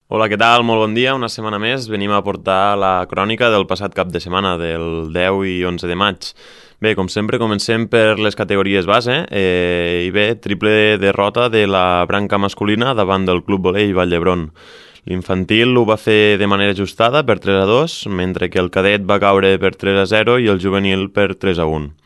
Hola, què tal? Molt bon dia. Una setmana més venim a portar la crònica del passat cap de setmana, del 10 i 11 de maig. Bé, com sempre, comencem per les categories base i bé, triple derrota de la branca masculina davant del Club Volei Vall d'Hebron. L'infantil ho va fer de manera ajustada per 3-2, mentre que el cadet va caure per 3-0 i el juvenil per 3-1.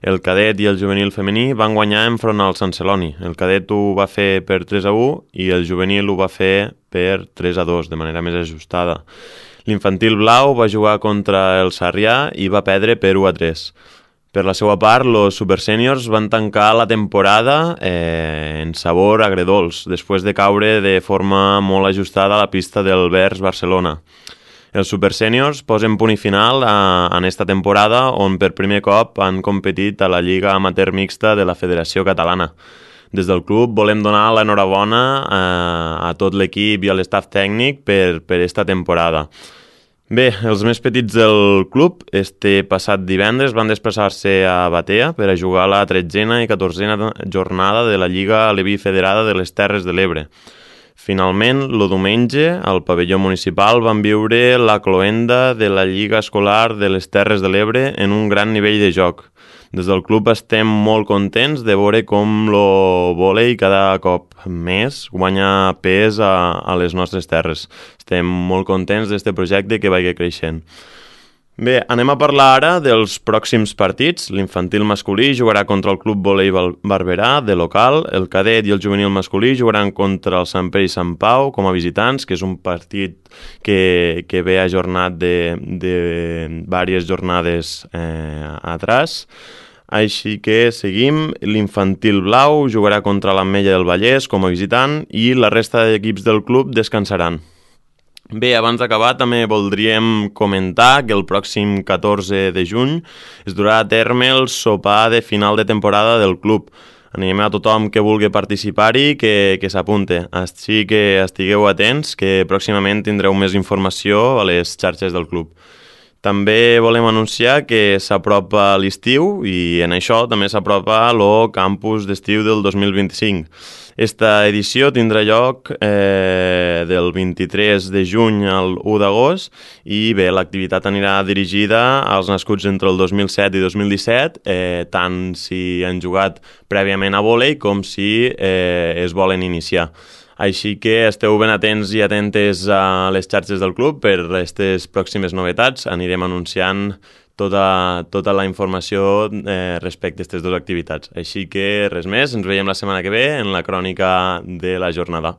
El cadet i el juvenil femení van guanyar enfront al Sant Celoni. El cadet ho va fer per 3-1 i el juvenil ho va fer per 3-2, de manera més ajustada. L'infantil blau va jugar contra el Sarrià i va perdre per 1-3. Per la seva part, els supersèniors van tancar la temporada en sabor agredolç, després de caure de forma molt ajustada a la pista del Vers Barcelona. Els supersèniors posen punt i final en esta temporada on per primer cop han competit a la Lliga Amateur Mixta de la Federació Catalana. Des del club volem donar l'enhorabona a tot l'equip i a l'estaf tècnic per esta temporada. Bé, els més petits del club este passat divendres van desplaçar-se a Batea per a jugar la 13a i 14a jornada de la Lliga Aleví Federada de les Terres de l'Ebre. Finalment, el diumenge, al pavelló municipal van viure la cloenda de la Lliga Escolar de les Terres de l'Ebre en un gran nivell de joc. Des del club estem molt contents de veure com el vòlei cada cop més guanya pes a les nostres terres. Estem molt contents d'aquest projecte que vagi creixent. Bé, anem a parlar ara dels pròxims partits. L'infantil masculí jugarà contra el Club Volei Barberà, de local. El cadet i el juvenil masculí jugaran contra el Sant Pere i Sant Pau com a visitants, que és un partit que ve ajornat de diverses jornades atrás. Així que seguim. L'infantil blau jugarà contra l'Ametlla del Vallès com a visitant i la resta d'equips del club descansaran. Bé, abans d'acabar també voldríem comentar que el pròxim 14 de juny es durà a terme el sopar de final de temporada del club. Animem a tothom que vulgui participar-hi que s'apunte. Així que estigueu atents, que pròximament tindreu més informació a les xarxes del club. També volem anunciar que s'apropa l'estiu i en això també s'apropa el campus d'estiu del 2025. Esta edició tindrà lloc del 23 de juny al 1 d'agost i bé, l'activitat anirà dirigida als nascuts entre el 2007 i 2017, tant si han jugat prèviament a vòlei com si es volen iniciar. Així que esteu ben atents i atentes a les xarxes del club per aquestes pròximes novetats. Anirem anunciant tota la informació respecte a aquestes dues activitats. Així que res més, ens veiem la setmana que ve en la crònica de la jornada.